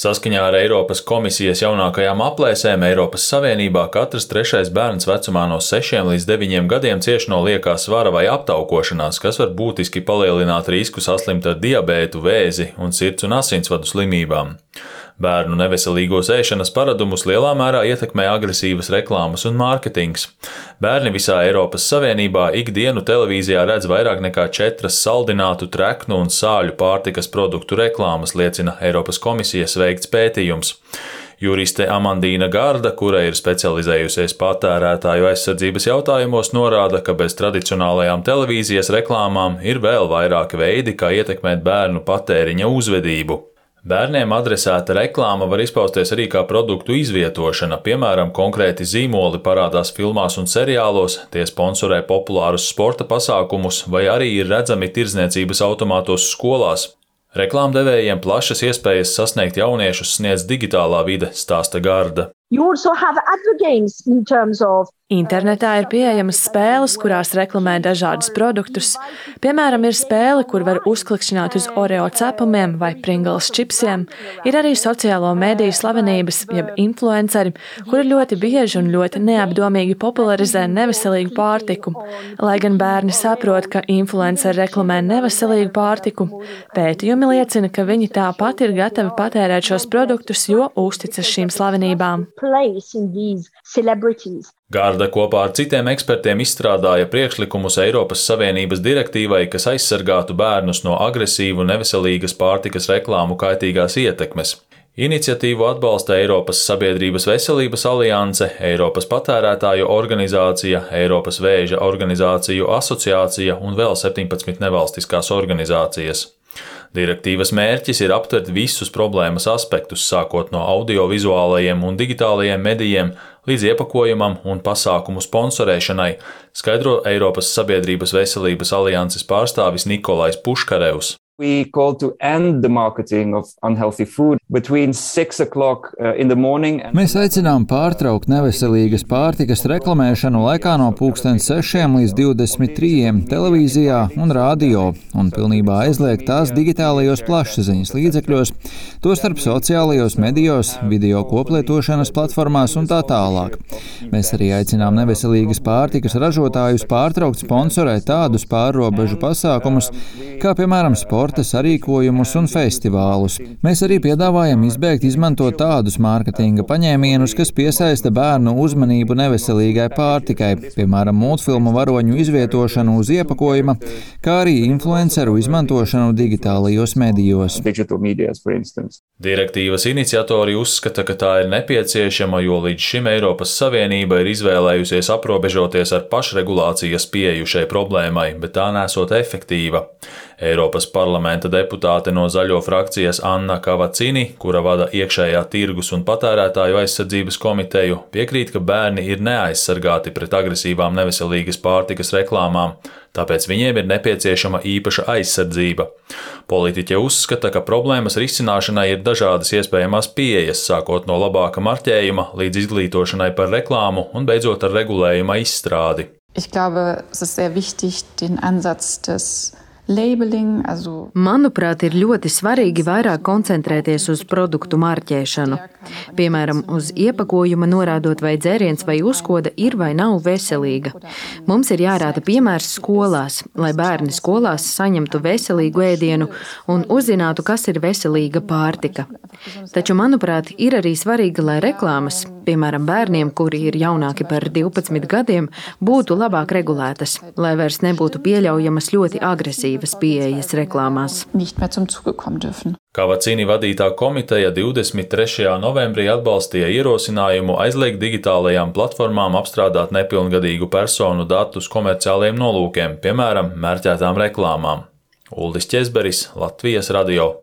Saskaņā ar Eiropas komisijas jaunākajām aplēsēm Eiropas Savienībā katrs trešais bērns vecumā no 6 līdz 9 gadiem cieš no liekā svara vai aptaukošanās, kas var būtiski palielināt risku saslimt ar diabētu, vēzi un sirds un asinsvadu slimībām. Bērnu neveselīgos ēšanas paradumus lielā mērā ietekmē agresīvas reklāmas un mārketings. Bērni visā Eiropas Savienībā ikdienu televīzijā redz vairāk nekā 4 saldinātu, treknu un sāļu pārtikas produktu reklāmas, liecina Eiropas komisijas veikts pētījums. Juriste Amandīna Garda, kura ir specializējusies patērētāju aizsardzības jautājumos, norāda, ka bez tradicionālajām televīzijas reklāmām ir vēl vairāki veidi, kā ietekmēt bērnu patēriņa uzvedību. Bērniem adresēta reklāma var izpausties arī kā produktu izvietošana, piemēram, konkrēti zīmoli parādās filmās un seriālos, tie sponsorē populārus sporta pasākumus vai arī ir redzami tirdzniecības automātos skolās. Reklāmdevējiem plašas iespējas sasniegt jauniešus sniedz digitālā vide, stāsta Garda. Internetā ir pieejamas spēles, kurās reklamē dažādus produktus. Piemēram, ir spēle, kur var uzklikšķināt uz Oreo cepumiem vai Pringles čipsiem. Ir arī sociālo mediju slavenības, jeb influenceri, kuri ļoti bieži un ļoti neapdomīgi popularizē neveselīgu pārtiku. Lai gan bērni saprot, ka influenceri reklamē neveselīgu pārtiku, pētījumi liecina, ka viņi tāpat ir gatavi patērēt šos produktus, jo uzticas šīm slavenībām. Garda kopā ar citiem ekspertiem izstrādāja priekšlikumus Eiropas Savienības direktīvai, kas aizsargātu bērnus no agresīvu neveselīgas pārtikas reklāmu kaitīgās ietekmes. Iniciatīvu atbalsta Eiropas Sabiedrības veselības alianse, Eiropas patērētāju organizācija, Eiropas vēža organizāciju asociācija un vēl 17 nevalstiskās organizācijas. Direktīvas mērķis ir aptvert visus problēmas aspektus, sākot no audiovizuālajiem un digitālajiem medijiem līdz iepakojumam un pasākumu sponsorēšanai, skaidro Eiropas Sabiedrības veselības alianses pārstāvis Nikolais Puškarevs. We call to end the marketing of unhealthy food between 6 o'clock in the morning. Mēs aicinām pārtraukt neveselīgas pārtikas reklamēšanu laikā no 6 līdz 23 televīzijā un radio un pilnībā aizliegt tās digitālajos plašsaziņas līdzekļos, tostarp sociālajos medijos, video koplietošanas platformās un tā tālāk. Mēs arī aicinām neveselīgas pārtikas ražotājus pārtraukt sponsorēt tādus pārrobežu pasākumus, kā piemēram sporta sarīkojumus un festivālus. Mēs arī piedāvājam izbēgt izmantot tādus mārketinga paņēmienus, kas piesaista bērnu uzmanību neveselīgai pārtikai, piemēram, multfilmu varoņu izvietošanu uz iepakojuma, kā arī influenceru izmantošanu digitālajos medijos. Direktīvas iniciatori uzskata, ka tā ir nepieciešama, jo līdz šim Eiropas Savienība ir izvēlējusies aprobežoties ar pašregulācijas pieeju šai problēmai, bet tā nesot efektīva. Eiropas parlamenta deputāte no Zaļo frakcijas Anna Kavacini, kura vada iekšējā tirgus un patērētāju aizsardzības komiteju, piekrīt, ka bērni ir neaizsargāti pret agresīvām neveselīgas pārtikas reklāmām, tāpēc viņiem ir nepieciešama īpaša aizsardzība. Politiķe uzskata, ka problēmas risināšanai ir dažādas iespējamās pieejas, sākot no labāka marķējuma līdz izglītošanai par reklāmu un beidzot ar regulējuma izstrādi. Ich glaube, es ist sehr wichtig, den Ansatz des Manuprāt, ir ļoti svarīgi vairāk koncentrēties uz produktu marķēšanu. Piemēram, uz iepakojuma norādot, vai dzēriens vai uzkoda ir vai nav veselīga. Mums ir jārāda piemērs skolās, lai bērni skolās saņemtu veselīgu ēdienu un uzzinātu, kas ir veselīga pārtika. Taču, manuprāt, ir arī svarīgi, lai reklāmas, piemēram, bērniem, kuri ir jaunāki par 12 gadiem, būtu labāk regulētas, lai vairs nebūtu pieļaujamas ļoti agresīvas pieejas reklāmās. Kavacini vadītā komiteja 23. novembrī atbalstīja ierosinājumu aizliegt digitālajām platformām apstrādāt nepilngadīgu personu datus komerciāliem nolūkiem, piemēram, mērķētām reklāmām. Uldis Ķezberis, Latvijas radio.